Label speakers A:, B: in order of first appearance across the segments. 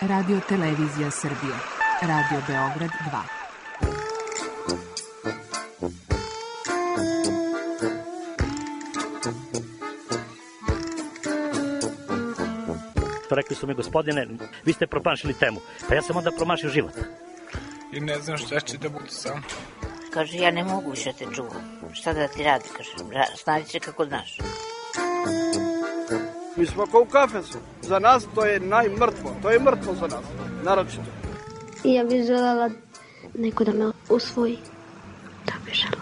A: Radio Televizija Srbije. Radio Beograd 2.
B: Rekli su mi, gospodine, vi ste promašili temu. Pa ja sam onda promašio život.
C: I ne znam šta će da bude sam.
D: Kaže, ja ne mogu više te čuvam. Šta da ti radi, kaže, snađi se kako znaš.
E: Mi smo kao u kafesu. Za nas to je najmrtvo. To je mrtvo za nas, naročito.
F: I ja bih željela neko da me usvoji. Da bih željela.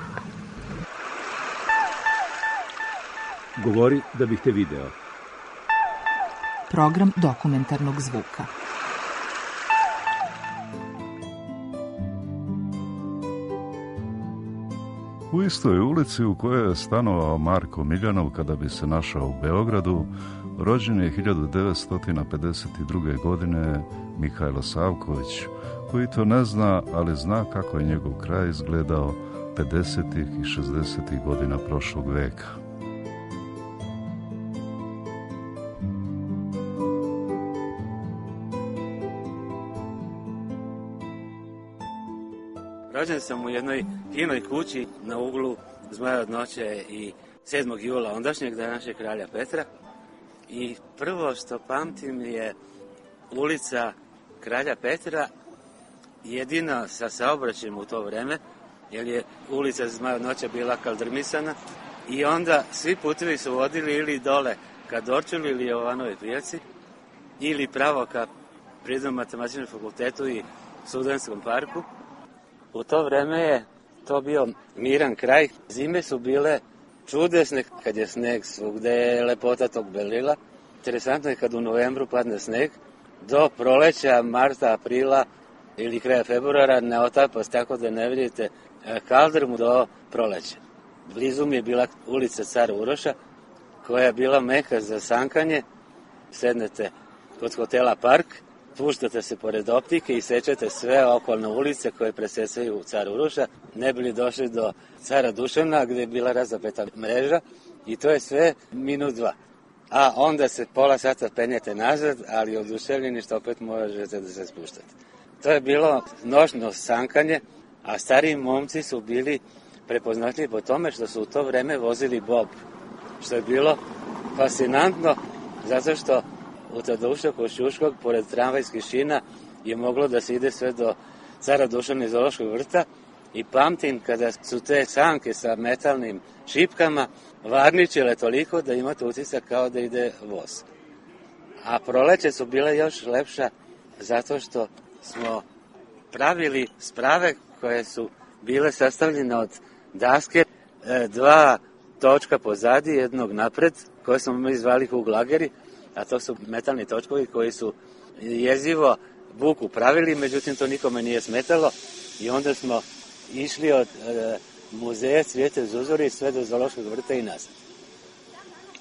G: Govori da bih te video.
A: Program dokumentarnog zvuka.
H: U istoj ulici u kojoj je stanovao Marko Miljanov kada bi se našao u Beogradu, rođen je 1952. godine Mihajlo Savković, koji to ne zna, ali zna kako je njegov kraj izgledao 50. i 60. godina prošlog veka.
I: Rođen sam u jednoj finoj kući na uglu Zmaja od noće i 7. jula ondašnjeg današnjeg kralja Petra. I prvo što pamtim je ulica kralja Petra, jedina sa saobraćajem u to vreme, jer je ulica Zmaja od noće bila kaldrmisana i onda svi putevi su vodili ili dole ka Dorčulu ili Jovanovoj pijaci ili pravo ka Prirodno-matematičkom fakultetu i Studentskom parku. U to vreme je to bio miran kraj. Zime su bile čudesne kad je sneg svugde, je lepota tog belila. Interesantno je kad u novembru padne sneg, do proleća, marta, aprila ili kraja februara ne otapa se tako da ne vidite kaldrmu do proleća. Blizu mi je bila ulica Cara Uroša koja je bila meka za sankanje. Sednete kod hotela Park, puštate se pored optike i sečete sve okolne ulice koje presecaju Cara Uroša, ne bili došli do Cara Dušana gde je bila razapeta mreža i to je sve minut dva. A onda se pola sata penjete nazad, ali oduševljeni što opet možete da se spuštate. To je bilo noćno sankanje, a stariji momci su bili prepoznatljivi po tome što su u to vreme vozili bob, što je bilo fascinantno zato što u Tadeuša Košćuškog, pored tramvajskih šina, je moglo da se ide sve do Cara Dušana i Zoološkog vrta i pamtim kada su te sanke sa metalnim šipkama varničile toliko da imate utisak kao da ide voz. A proleće su bile još lepša zato što smo pravili sprave koje su bile sastavljene od daske, dva točka pozadi, jednog napred, koje smo mi zvali huglageri, a to su metalni točkovi koji su jezivo buku pravili, međutim to nikome nije smetalo i onda smo išli od muzeja Cvijete Zuzori sve do Zoološkog vrta i nazad.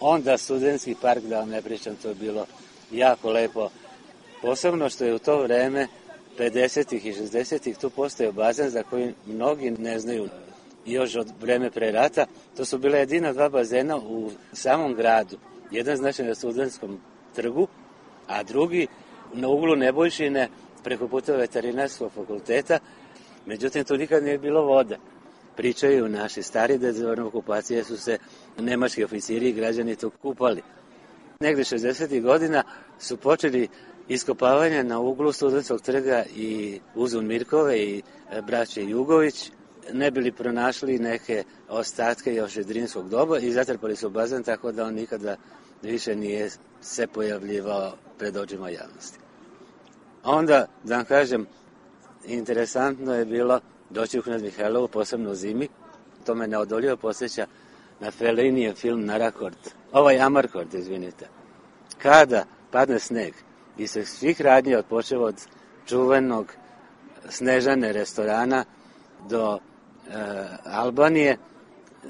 I: Onda Studentski park, da vam ne pričam, to je bilo jako lepo. Posebno što je u to vreme 50-ih i 60-ih tu postojao bazen za koji mnogi ne znaju još od vreme pre rata. To su bile jedina dva bazena u samom gradu. Jedan znači na Studentskom trgu, a drugi na uglu Nebojšine preko puta Veterinarskog fakulteta. Međutim, tu nikad nije bilo vode. Pričaju naši stari da za vreme okupacije su se nemački oficiri i građani tu kupali. Negde 60. godina su počeli iskopavanje na uglu Studentskog trga i Uzun Mirkove i braće Jugović. Ne bili pronašli neke ostatke još iz Drinskog doba i zatrpali su bazen tako da on nikada više nije se pojavljivao pred očima javnosti. Onda, da vam kažem, interesantno je bilo doći u Knez Mihajlovu, posebno u zimi. To me neodoljivo posjeća na Fellinijev film Amarkord, izvinite. Kada padne sneg i se svih radnji odpočevo od čuvenog Snežane restorana do Albanije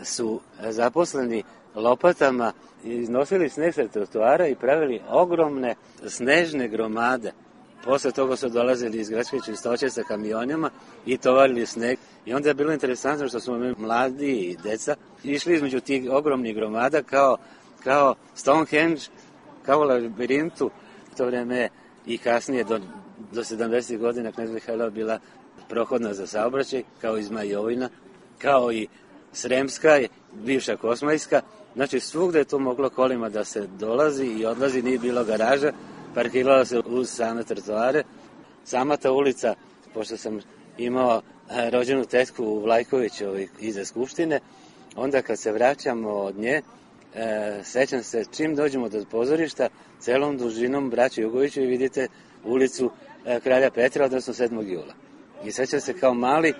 I: su zaposleni lopatama iznosili sneg sa trotoara i pravili ogromne snežne gromade. Posle toga su dolazili iz gradske čistoće sa kamionima i tovarili sneg. I onda je bilo interesantno što smo mi mladi i deca išli između tih ogromnih gromada kao Stonehenge, kao u labirintu. U to vreme i kasnije do 70. godina Knez Mihajlova bila prohodna za saobraćaj, kao i Zmajovina, kao i Sremska, bivša Kosmajska. Znači svugde je to moglo kolima da se dolazi i odlazi, nije bilo garaža, parkiralo se uz same trotoare. Sama ta ulica, pošto sam imao rođenu tetku u Vlajkovićevoj iza Skupštine, onda kad se vraćamo od nje, sećam se, čim dođemo do pozorišta, celom dužinom braće Jugoviću i vidite ulicu Kralja Petra, odnosno 7. jula. I sećam se kao mali,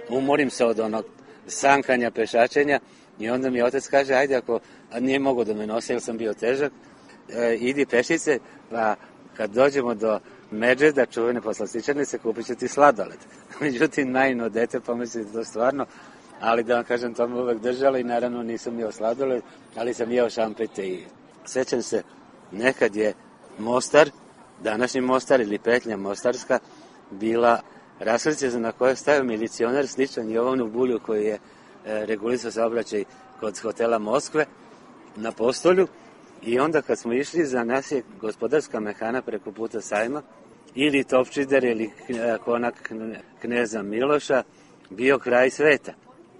I: umorim se od onog sankanja, pešačenja, i onda mi otac kaže, ajde, ako nije mogo da me nose, jer sam bio težak, idi pešice, pa kad dođemo do Medžeda, čuvene poslastičarnice, kupit će ti sladoled. Međutim, naivno dete pomisli to stvarno, ali da vam kažem, to me uvek držalo i naravno nisam jeo sladoled, ali sam jeo šampete. I sećam se, nekad je Mostar, današnji Mostar ili petlja Mostarska, bila raskrstnica na kojoj stavio milicionar sličan Jovanu Bulju koji je regulisao saobraćaj kod hotela Moskve na postolju. I onda kad smo išli, za nas je gospodarska mehana preko puta Sajma ili Topčider ili konak kneza Miloša bio kraj sveta.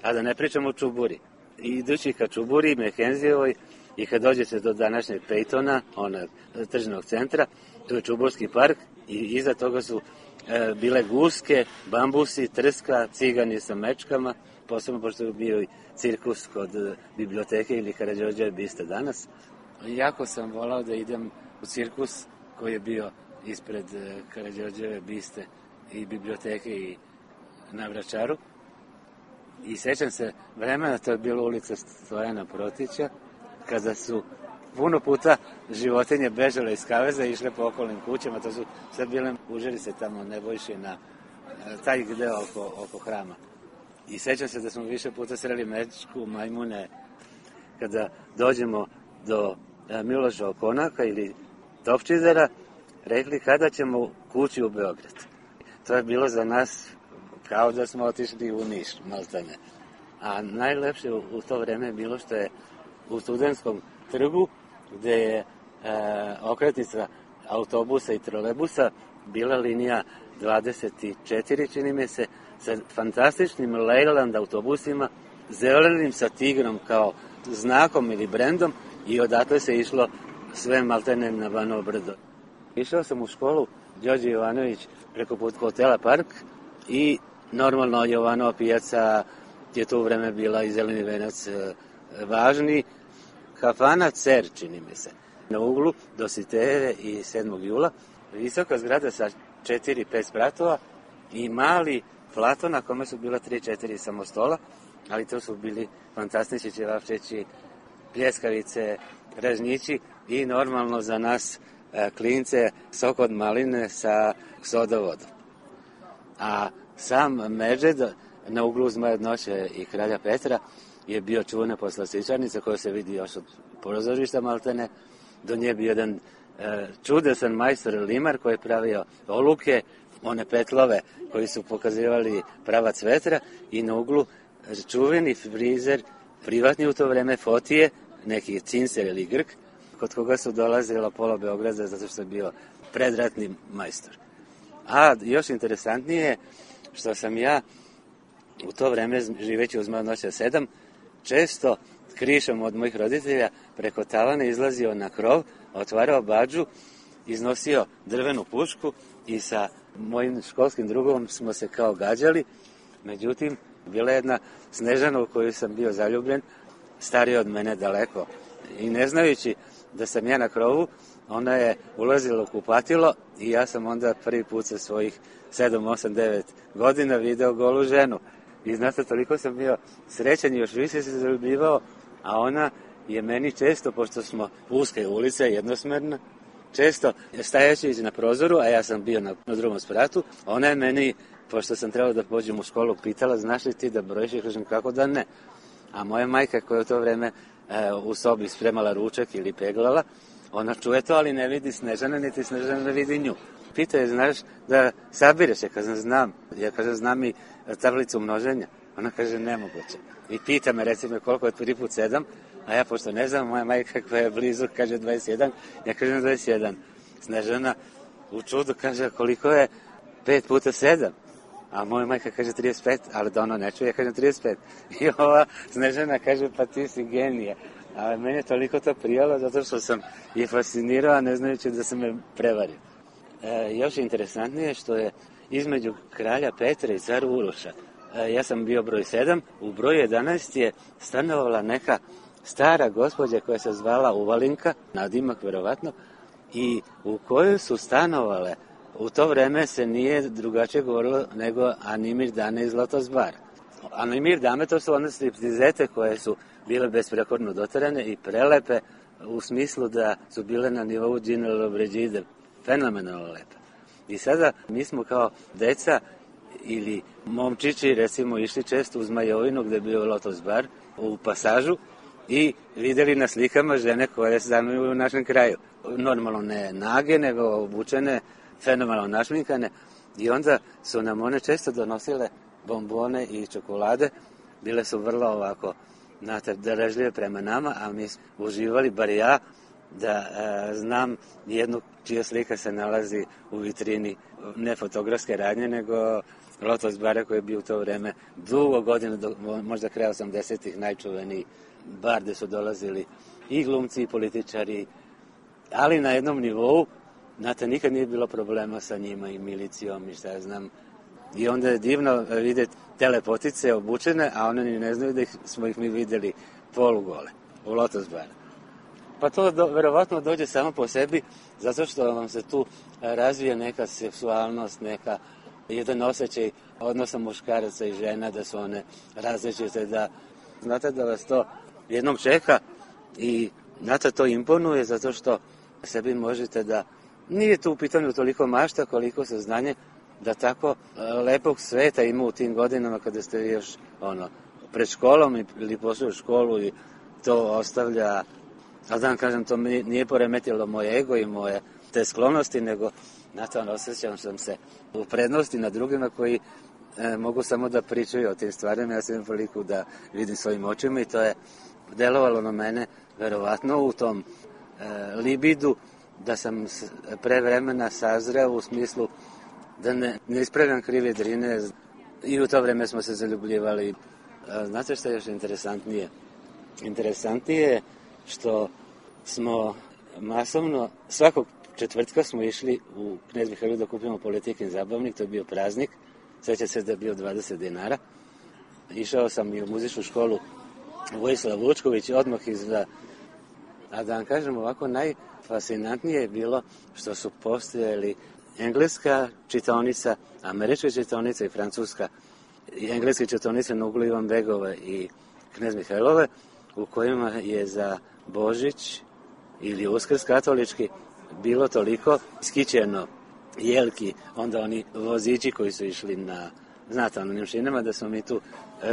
I: A da ne pričamo o Čuburi. I idući ka Čuburi, Mehenzijevoj, i kad dođete do današnjeg Pejtona, onog tržnog centra, to je Čuburski park i iza toga su bile guske, bambusi, trska, cigani sa mečkama, posebno pošto je bio i cirkus kod biblioteke ili Karađorđeve biste danas. Jako sam volao da idem u cirkus koji je bio ispred Karađorđeve biste i biblioteke i na Vračaru. I sećam se vremena, to je bila ulica Stojana Protića, kada su puno puta životinje bežale iz kaveza i išle po okolnim kućama, to su sad bile užerice tamo Nebojši na taj deo oko hrama. I sećam se da smo više puta sreli mečku, majmune, kada dođemo do Miloševog konaka ili Topčidera, rekli kada ćemo kući u Beograd. To je bilo za nas kao da smo otišli u Niš, maltene. A najlepše u to vreme je bilo što je u Studentskom trgu, gde je okretnica autobusa i trolebusa bila linija 24, čini mi se, sa fantastičnim Leyland autobusima, zelenim sa tigrom kao znakom ili brendom, i odatle se išlo sve maltene na Banovo brdo. Išao sam u školu Đorđe Jovanović preko put hotela Park i normalno Jovanova pijaca je to u vreme bila i Zeleni venac važni. Kafana Cer, čini mi se, na uglu Dositejeve i 7. jula, visoka zgrada sa 4-5 spratova i mali platon na kome su bila 3-4 samostola, ali to su bili fantastični ćevapčići, pljeskavice, ražnjići i normalno za nas klince sok od maline sa sodovodom. A sam Medžed na uglu Zmajednoće i Kralja Petra je bio čuvena poslastičarnica koja se vidi još od pozorišta maltene. Do nje je bio jedan čudesan majstor limar koji je pravio oluke, one petlove koji su pokazivali pravac vetra, i na uglu čuveni frizer, privatni u to vreme Fotije, neki Cincer ili Grk, kod koga su dolazila pola Beograda zato što je bio predratni majstor. A još interesantnije je što sam ja u to vreme, živeći uz Zmajednoća 7, često krišom od mojih roditelja preko tavana izlazio na krov, otvarao badžu, iznosio drvenu pušku i sa mojim školskim drugom smo se kao gađali. Međutim, bila je jedna Snežana u koju sam bio zaljubljen, starija od mene daleko. I ne znajući da sam ja na krovu, ona je ulazila u kupatilo i ja sam onda prvi put sa svojih 7, 8, 9 godina video golu ženu. I znate, toliko sam bio srećan i još više se zaljubljivao, a ona je meni često, pošto smo uske ulice, jednosmerna, često stajajući na prozoru, a ja sam bio na drugom spratu, ona je meni, pošto sam trebao da pođem u školu, pitala, znaš li ti da brojiš? I kažem, kako da ne? A moja majka, koja je u to vreme u sobi spremala ručak ili peglala, ona čuje to, ali ne vidi Snežana, niti Snežana ne vidi nju. Pita je, znaš da sabireš? Ja kažem, znam. Ja kažem, znam i tablicu množenja. Ona kaže, nemoguće. I pita me, recimo, koliko je 3 put 7, a ja, pošto ne znam, moja majka koja je blizu, kaže 21, ja kažem 21. Snežana u čudu kaže koliko je 5 puta 7. A moja majka kaže 35, ali da ono ne čuje, ja kažem 35. I ova Snežana kaže, pa ti si genije. A meni je toliko to prijalo, zato što sam je fascinirao, ne znajući da sam me prevario. Još je interesantnije što je između kralja Petra i cara Uroša. Ja sam bio broj 7, u broju 11 je stanovala neka stara gospođa koja se zvala Uvalinka, nadimak verovatno, i u kojoj su stanovale. U to vreme se nije drugačije govorilo nego Animir dame i Zlatos bar. Animir dame to su one striptizete koje su bile besprekorno dotarane i prelepe u smislu da su bile na nivou Gine Lollobrigide, fenomenalno lepe. I sada mi smo kao deca ili momčići recimo išli često uz Majovinu gde je bio Lotos bar u pasažu i videli na slikama žene koje stanuju u našem kraju. Normalno ne nage, nego obučene, fenomenalno našminkane i onda su nam one često donosile bombone i čokolade. Bile su vrlo ovako darežljive prema nama, a mi smo uživali, bar ja, da znam jednu čija slika se nalazi u vitrini, ne fotografske radnje, nego Lotos bara koji je bio u to vreme dugo godina, možda kraja 80-ih, najčuveniji bar gde su dolazili i glumci i političari, ali na jednom nivou, znate, nikad nije bilo problema sa njima i milicijom i šta ja znam. I onda je divno vidjeti te lepotice obučene, a one ni ne znaju da smo ih mi videli polugole u Lotos baru. Pa to verovatno dođe samo po sebi, zato što vam se tu razvije neka seksualnost, neka jedan osjećaj odnosa muškaraca i žena, da su one različite, da znate da vas to jednom čeka i znate to imponuje, zato što sebi možete da nije tu u pitanju toliko mašta koliko saznanje da tako lepog sveta ima u tim godinama kada ste još pred školom ili posle školu i to ostavlja, ali da vam kažem, to mi nije poremetilo moj ego i moje te sklonosti, nego osjećam sam se u prednosti na drugima koji mogu samo da pričaju o tim stvarima. Ja sam imam priliku da vidim svojim očima i to je delovalo na mene verovatno u tom libidu, da sam pre vremena sazreo u smislu da ne ispravljam krive drine i u to vreme smo se zaljubljivali. Znate što je još interesantnije? Interesantnije je što smo masovno, svakog četvrtka smo išli u Knez Mihajlovu da kupimo Politikin zabavnik, to je bio praznik, seća se da je bio 20 dinara. Išao sam i u muzičku školu Vojislav Vučković, odmah a da vam kažem ovako, najfascinantnije je bilo što su postojali engleska čitaonica, američka čitaonica i francuska i engleske čitaonice na uglu Ivan Begove i Knez Mihajlove, u kojima je za Božić ili Uskrs katolički bilo toliko skićeno jelki, onda oni vozići koji su išli na, znate, onim šinama, da smo mi tu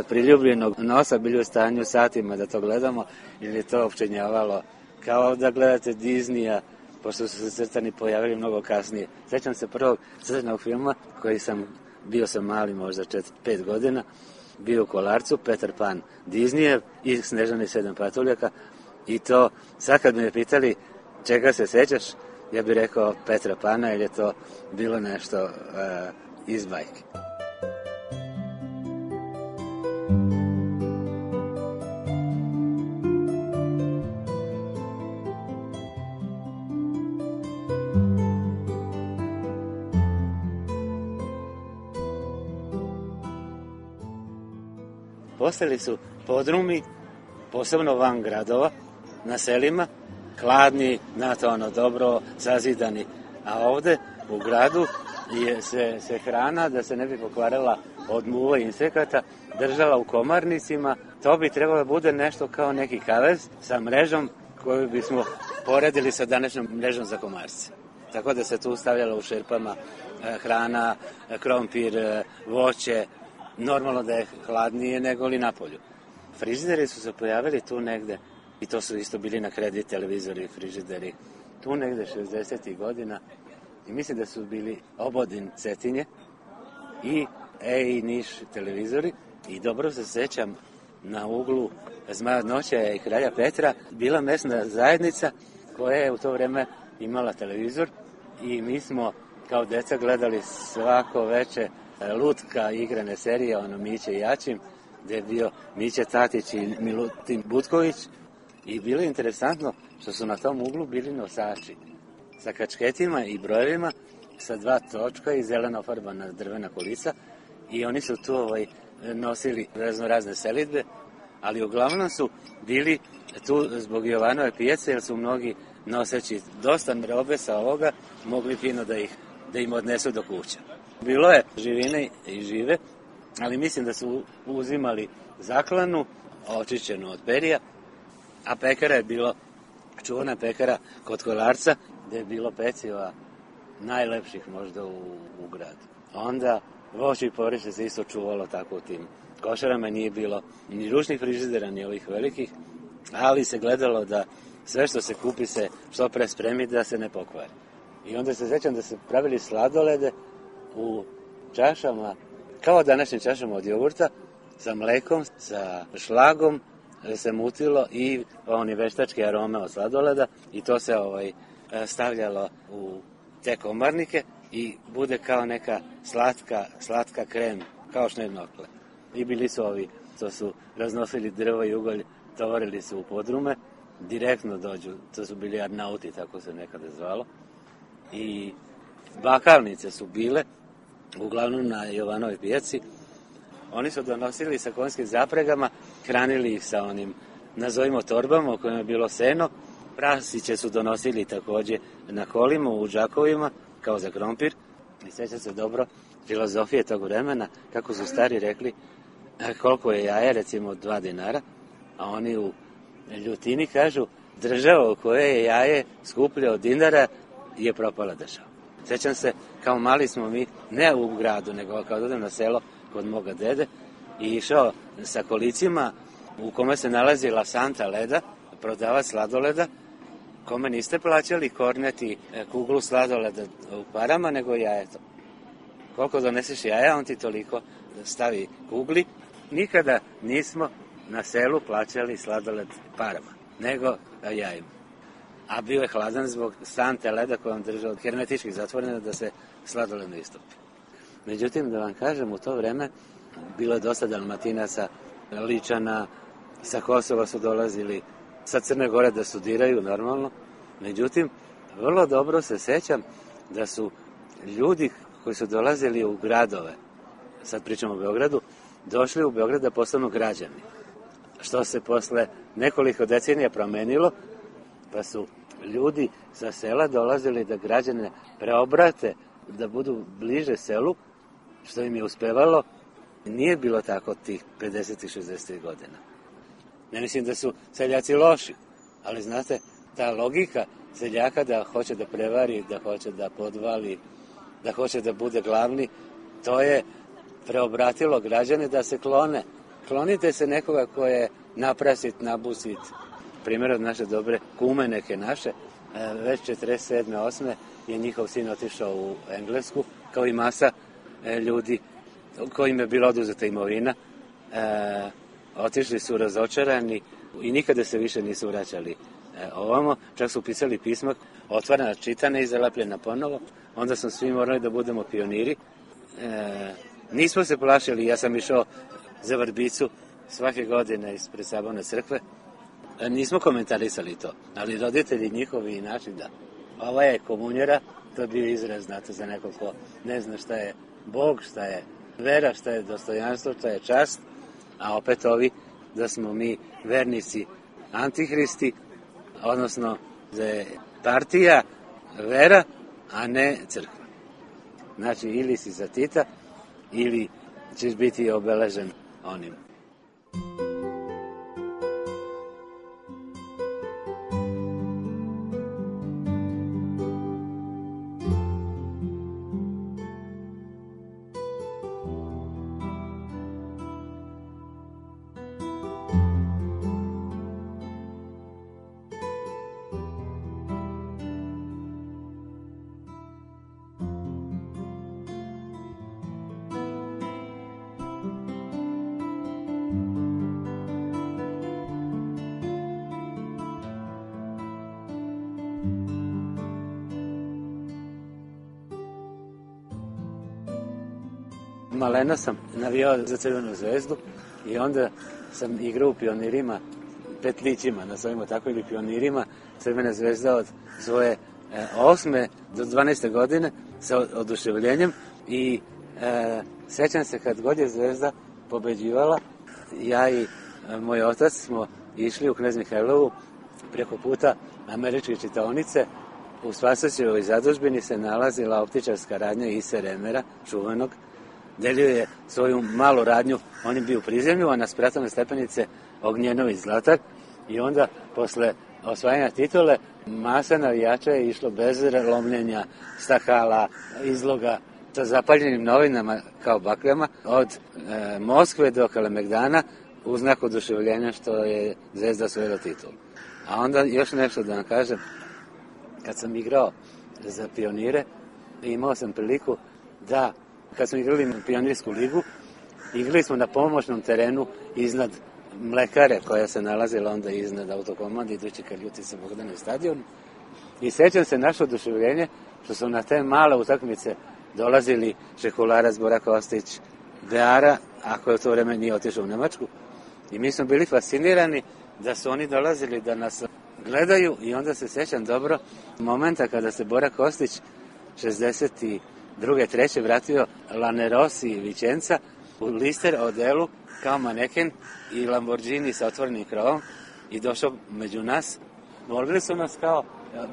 I: priljubljenog nosa bili u stanju satima da to gledamo, ili to opčenjavalo kao da gledate Disneya, pošto su se crtani pojavili mnogo kasnije. Sećam se prvog crtanog filma koji bio sam mali, možda 4-5 godina, bio u Kolarcu, Peter Pan Disneyev i Snežana i 7 patuljaka, i to sad kad me pitali čega se sećaš, ja bih rekao Petra Pana, jer je to bilo nešto iz bajke. Postali su podrumi, posebno van gradova, na selima, hladni, dobro zazidani. A ovde u gradu se hrana, da se ne bi pokvarila od muva i insekata, držala u komarnicima. To bi trebalo da bude nešto kao neki kavez sa mrežom koju bismo poredili sa današnjom mrežom za komarce. Tako da se tu stavljala u šerpama hrana, krompir, voće, normalno da je hladnije nego li napolju. Frižideri su se pojavili tu negde, i to su isto bili na kredit televizori i frižideri, tu negde 60. godina, i mislim da su bili Obodin Cetinje i Niš televizori, i dobro se sećam na uglu Zmaja Noća i Kralja Petra bila mesna zajednica koja je u to vreme imala televizor, i mi smo kao djeca gledali svako veče lutka igrane serije, ono Miće i Jačim, gdje je bio Miće Tatić i Milutin Butković. I bilo je interesantno što su na tom uglu bili nosači sa kačketima i brojevima, sa 2 točka i zeleno farbana drvena kolica. I oni su tu nosili razne selidbe, ali uglavnom su bili tu zbog Jovanove pijace, jer su mnogi noseći dosta robe sa ovoga mogli fino da im odnesu do kuća. Bilo je živine i žive, ali mislim da su uzimali zaklanu, očišćenu od perija, a pekara je bilo čuvana pekara kod Kolarca, gdje je bilo peciva najlepših možda u gradu. Onda voće i povrće se isto čuvalo tako u tim košarama, nije bilo ni ručnih frižidera, ni ovih velikih, ali se gledalo da sve što se kupi se što pre spremi da se ne pokvari. I onda se sjećam da se pravili sladolede u čašama, kao današnjim čašama od jogurta, sa mlekom, sa šlagom, se mutilo i oni veštačke arome od sladoleda i to se stavljalo u te komarnike i bude kao neka slatka krem, kao šnednokle. I bili su ovi, to su raznosili drvo i ugalj, tovarili su u podrume, direktno dođu, to su bili arnauti, tako se nekada zvalo. I bakalnice su bile, uglavnom na Jovanovoj pijaci. Oni su donosili sa konjskim zapregama, hranili ih sa onim, nazovimo torbama u kojima je bilo seno. Prasiće su donosili također na kolima u džakovima, kao za krompir. I sjeća se dobro filozofije tog vremena, kako su stari rekli koliko je jaje, recimo 2 dinara, a oni u Ljutini kažu država u kojoj je jaje skuplje od dinara je propala država. Sjećam se, kao mali smo mi, ne u gradu, nego kao odem na selo kod moga dede i išao sa kolicima u kome se nalazila santa leda, prodavac sladoleda, kome niste plaćali korneti kuglu sladoleda u parama, nego jajeto. Koliko doneseš jaja, on ti toliko stavi kugli. Nikada nismo na selu plaćali sladoled parama, nego jajima. A bio je hladan zbog sante leda koju on držao hermetički zatvorena da se sladoled ne istopi. Međutim, da vam kažem, u to vreme bilo je dosta Dalmatinaca, Ličana, sa Kosova su dolazili, sa Crne Gore da studiraju normalno. Međutim, vrlo dobro se sjećam da su ljudi koji su dolazili u gradove, sad pričamo o Beogradu, došli u Beograd da postanu građani. Što se posle nekoliko decenija promenilo, pa su ljudi sa sela dolazili da građane preobrate, da budu bliže selu, što im je uspevalo. Nije bilo tako tih 50. i 60. godina. Ne mislim da su seljaci loši, ali znate, ta logika seljaka da hoće da prevari, da hoće da podvali, da hoće da bude glavni, to je preobratilo građane da se klone. Klonite se nekoga ko je naprasit, nabusit. Primjer od naše dobre kume neke naše, već 47. 8. je njihov sin otišao u Englesku, kao i masa ljudi kojim je bila oduzeta imovina. Otišli su razočarani i nikada se više nisu vraćali ovamo. Čak su pisali pisma, otvarana, čitana i zalepljena ponovo. Onda smo svi morali da budemo pioniri. Nismo se plašili, ja sam išao za Vrbicu svake godine ispred Sabone crkve. Nismo komentarisali to, ali roditelji njihovi i naši da. Ova je komunjera, to je bio izraz, znate, za neko ko ne zna šta je Bog, šta je vera, šta je dostojanstvo, šta je čast, a opet ovi da smo mi vernici antihristi, odnosno da je partija vera, a ne crkva. Znači, ili si za Tita, ili ćeš biti obeležen onim. Malena sam navijao za Crvenu zvezdu i onda sam igrao u Pionirima, petlićima, nazovimo tako, ili Pionirima Crvena zvezda od svoje 8. do 12. godine sa oduševljenjem i sećam se kad god je Zvezda pobeđivala, ja i moj otac smo išli u Knez Mihajlovu preko puta američke čitaonice. U Spasoćevoj zadužbini se nalazila optičarska radnja Ise Remera, čuvenog. Delio je svoju malu radnju, on je bio u prizemlju, a na spratane stepenice Ognjenović Zlatar. I onda, posle osvajanja titule, masa navijača je išlo bez lomljenja, stakala, izloga, sa zapaljenim novinama kao bakljama, od Moskve do Kalemegdana, u znak oduševljenja što je Zvezda osvojila titulu. A onda još nešto da vam kažem, kad sam igrao za Pionire, imao sam priliku da, kad smo igrali Pionirsku ligu, igrali smo na pomoćnom terenu iznad mlekare koja se nalazila onda iznad autokomande idući ka Ljutice Bogdane stadionu. I sećam se naše oduševljenje što su na te male utakmice dolazili Šekularac, Bora Kostić, Beara, ako je u to vreme nije otišao u Nemačku. I mi smo bili fascinirani da su oni dolazili da nas gledaju i onda se sećam dobro momenta kada se Bora Kostić 62. 3. vratio Lanerossi i Vicenza u Lister odelu kao maneken i Lamborghini sa otvorenim krovom i došao među nas. Molili su nas kao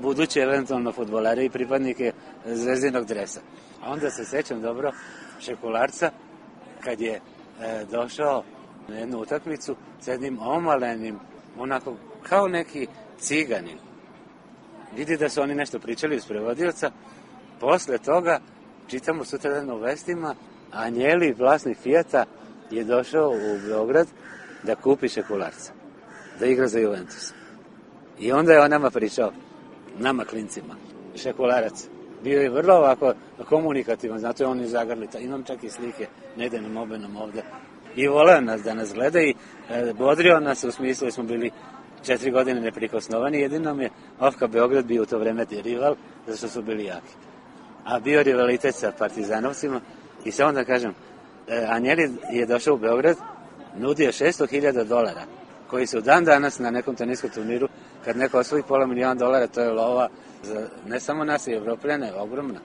I: buduće eventualno fudbalere i pripadnike zvezdinog dresa. A onda se sećam dobro Šekularca kad je došao na jednu utakmicu s jednim omalenim, onako kao neki ciganin. Vidi da su oni nešto pričali uz prevodioca. Posle toga čitamo sutradan u vestima, Anjeli, vlasnik Fijata, je došao u Beograd da kupi Šekularca, da igra za Juventus. I onda je on nama pričao, nama klincima, Šekularac. Bio je vrlo ovako komunikativan, zato je on i zagrlita. Imam čak i slike, negde na mobilnom ovde. I voleo nas da nas gleda i bodrio nas u smislu da smo bili 4 godine neprikosnovani. Jedino je Ofka Beograd bio u to vreme rival, zato što su bili jaki. A bio rivalitet sa Partizanovcima i samo da kažem, Anjeli je došao u Beograd, nudio $600.000, koji su dan danas na nekom teniskom turniru, kad neko osvoji $500.000, to je lova za ne samo nas i Evropljane, ogromna.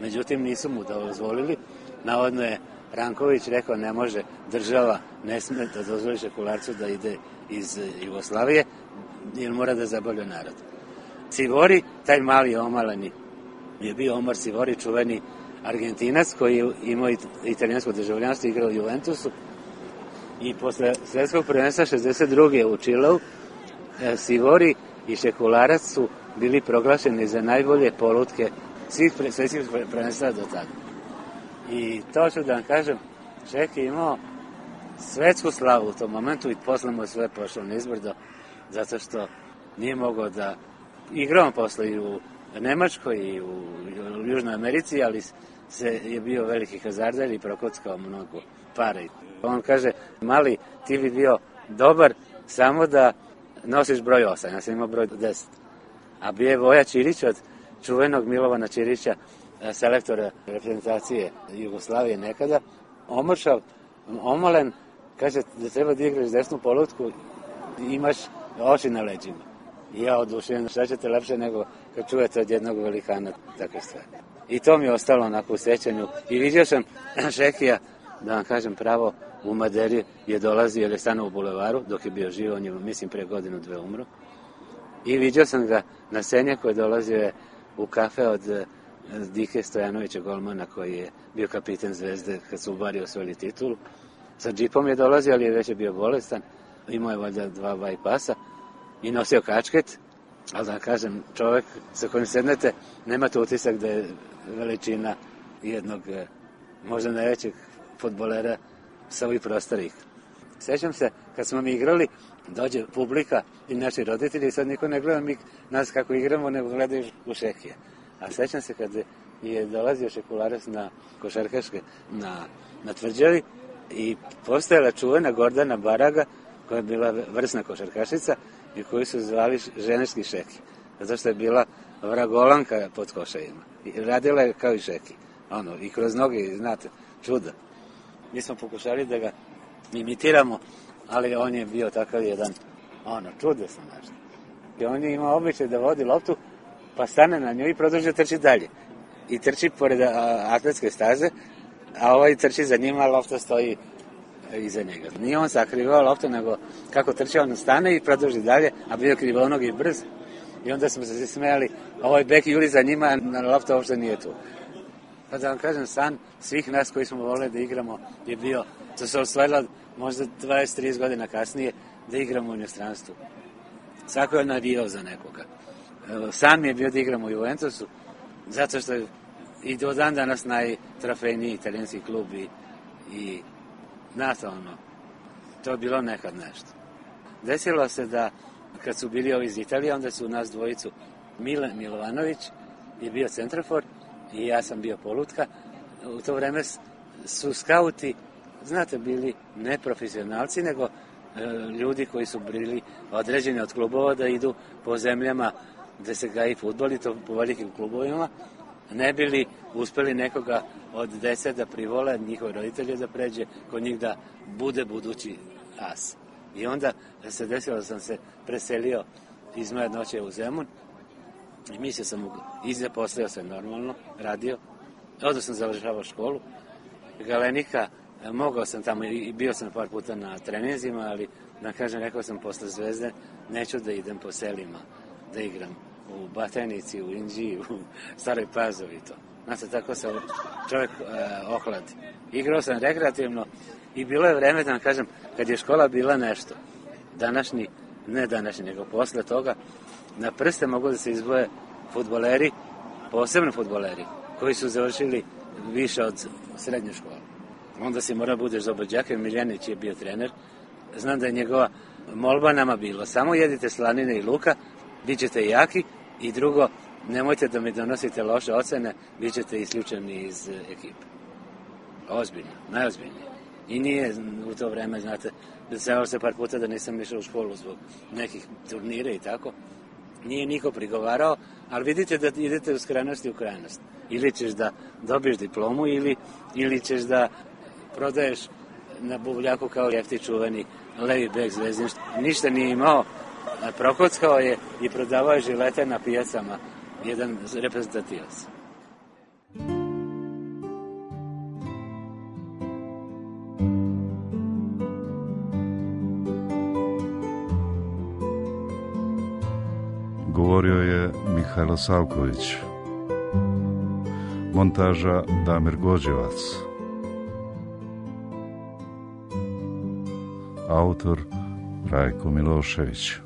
I: Međutim, nisu mu dozvolili. Navodno je Ranković rekao ne može, država ne sme da dozvoli Šekularcu da ide iz Jugoslavije, jer mora da zabavlja narod. Sivori, taj mali omaleni, je bio Omar Sivori, čuveni Argentinac koji je imao italijansko državljanstvo, igrao u Juventusu. I posle svetskog prvenstva 62. u Čileu, Sivori i Šekularac su bili proglašeni za najbolje polutke svih svetskih prvenstva do tada. I to ću da vam kažem, Šek je imao svetsku slavu u tom momentu i posle mu je sve pošlo nizbrdo, zato što nije mogao da igrao posle i u Nemačkoj i u Južnoj Americi, ali je bio veliki hazardar i prokockao mnogo pare. On kaže, mali, ti bi bio dobar samo da nosiš broj 8, ja sam imao broj 10. A bio je Voja Ćirić od čuvenog Milovana Ćirića, selektora reprezentacije Jugoslavije nekada, omršav, omalen, kaže da treba da igraš desnu polutku, imaš oči na leđima. I ja odušujem, šta ćete lepše nego kad čujete od jednog velikana takve stvari. I to mi je ostalo onako u sećanju. I vidio sam Šekija, da vam kažem pravo, u Maderi je dolazio, jer je stanovao u bulevaru, dok je bio živ, on je, mislim, pre godinu, dve umro. I vidio sam ga na Senje koji dolazio je u kafe od Dike Stojanovića golmana, koji je bio kapiten Zvezde kad su u Bari osvojili titulu. Sa džipom je dolazio, ali je već bio bolestan. Imao je valjda 2 bypassa i nosio kačket, ali da kažem, čovek sa kojim sednete, nemate utisak da je veličina jednog, možda najvećeg fudbalera sa ovih prostorih. Sećam se, kad smo mi igrali, dođe publika i naši roditelji, sad niko ne gleda mi nas kako igramo, nego gledaju u Šekije. A sećam se kad je dolazio Šekularac na košarkaške na Tvrđavi i postojala čuvena Gordana Baraga, koja je bila vrsna košarkašica i koju su zvali Ženeški Šeki, zato što je bila vragolanka pod košajima. I radila je kao i Šeki, i kroz noge, znate, čuda. mi smo pokušali da ga imitiramo, ali on je bio takav jedan, čudesan nešto. I on je imao običaj da vodi loptu, pa stane na nju i produži trči dalje. I trči pored atletske staze, a ovaj trči za njima, a lopta stoji iza njega. Nije on sakrivao loptu, nego kako trči, on stane i produži dalje, a bio krivonog i brz. I onda smo se smejali, ovaj bek juri za njima, a lopta uopšte nije tu. Pa da vam kažem, san svih nas koji smo voleli da igramo je bio, to se ostvarilo možda 20-30 godina kasnije, da igramo u inostranstvu. Svako je navijao za nekoga. San mi je bio da igramo u Juventusu, zato što je i do dan danas najtrofejniji italijanski klub i znate to je bilo nekad nešto. Desilo se da kad su bili ovi iz Italije, onda su nas dvojicu, Mile Milovanović je bio centrafor i ja sam bio polutka. U to vreme su skauti, znate, bili ne profesionalci, nego ljudi koji su bili određeni od klubova da idu po zemljama gde se gaji fudbal i to po velikim klubovima, ne bili uspeli nekoga od dece da privole, njihove roditelje da pređe kod njih da bude budući as. I onda se desilo da sam se preselio iz Mladenoće u Zemun i mislio sam i zaposlio se normalno, radio. Onda sam završavao školu. Galenika, mogao sam tamo i bio sam par puta na treninzima, ali da kažem, rekao sam posle Zvezde, neću da idem po selima, da igram u Batajnici, u Inđiji, u Staroj Pazovi i to. Znate, tako se čovjek ohladi. Igrao sam rekreativno i bilo je vreme, da vam kažem, kad je škola bila nešto. Ne današnji, nego posle toga, na prste mogu da se izboje fudbaleri, posebno fudbaleri, koji su završili više od srednje škole. Onda si mora budeš dobar đak, jer Miljanić je bio trener. Znam da je njegova molba nama bila, samo jedite slanine i luka, bit ćete jaki, i drugo, nemojte da mi donosite loše ocene, bit ćete isključeni iz ekipe. Ozbiljno, najozbiljnije. I nije u to vreme, znate, desilo se par puta da nisam išao u školu zbog nekih turnira i tako. Nije niko prigovarao, ali vidite da idete uz krajnosti u krajnost. Ili ćeš da dobiješ diplomu, ili ćeš da prodaješ na buvljaku kao jefti čuveni levi bek Zvezdin. Ništa nije imao, prokockao je i prodavao je žilete na pijacama, jedan reprezentativac.
H: Govorio je Mihajlo Savković. Montaža Damir Gođevac. Autor Rajko Milošević.